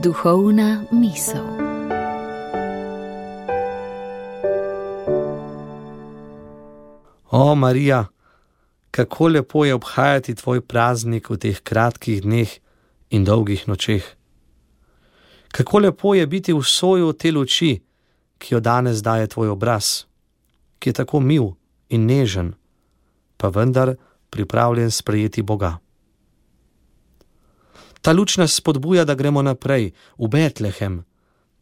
Duhovna misel. O, Marija, kako lepo je obhajati tvoj praznik v teh kratkih dneh in dolgih nočeh. Kako lepo je biti v soju te luči, ki jo danes daje tvoj obraz, ki je tako mil in nežen, pa vendar pripravljen sprejeti Boga. Ta luč nas spodbuja, da gremo naprej, v Betlehem,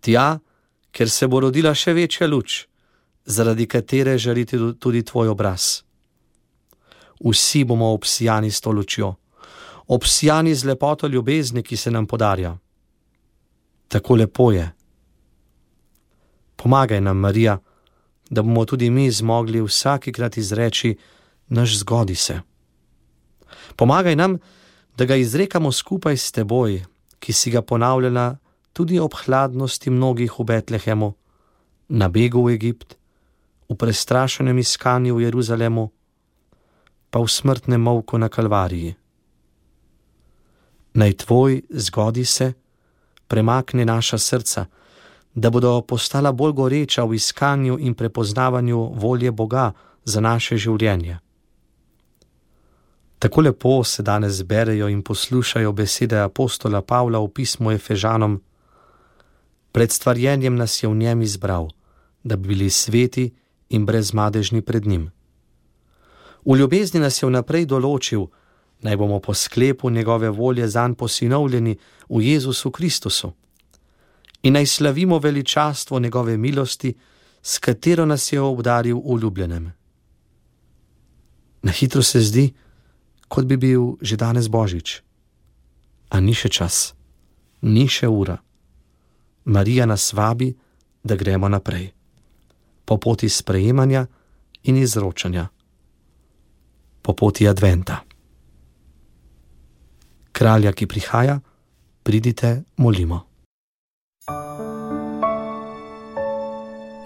tja, kjer se bo rodila še večja luč, zaradi katere žari tudi tvoj obraz. Vsi bomo obsijani s to lučjo, obsijani z lepoto ljubezni, ki se nam podarja. Tako lepo je. Pomagaj nam, Marija, da bomo tudi mi zmogli vsakikrat izreči naš zgodi se. Pomagaj nam, da ga izrekamo skupaj s teboj, ki si ga ponavljala tudi ob hladnosti mnogih v Betlehemu, na begu v Egipt, v prestrašenem iskanju v Jeruzalemu, pa v smrtnem molku na Kalvariji. Naj tvoj zgodi se premakne naša srca, da bodo postala bolj goreča v iskanju in prepoznavanju volje Boga za naše življenje. Tako lepo se danes berejo in poslušajo besede apostola Pavla v pismu Efežanom. Pred stvarjenjem nas je v njem izbral, da bi bili sveti in brezmadežni pred njim. V ljubezni nas je vnaprej določil, naj bomo po sklepu njegove volje zanj posinovljeni v Jezusu Kristusu in naj slavimo veličastvo njegove milosti, s katero nas je obdaril v ljubljenem. Na hitro se zdi, kot bi bil že danes Božič. A ni še čas, ni še ura. Marija nas vabi, da gremo naprej, po poti sprejemanja in izročanja, po poti adventa. Kralja, ki prihaja, pridite, molimo.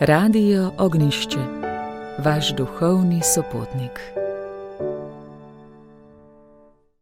Radio Ognjišče, vaš duhovni sopotnik.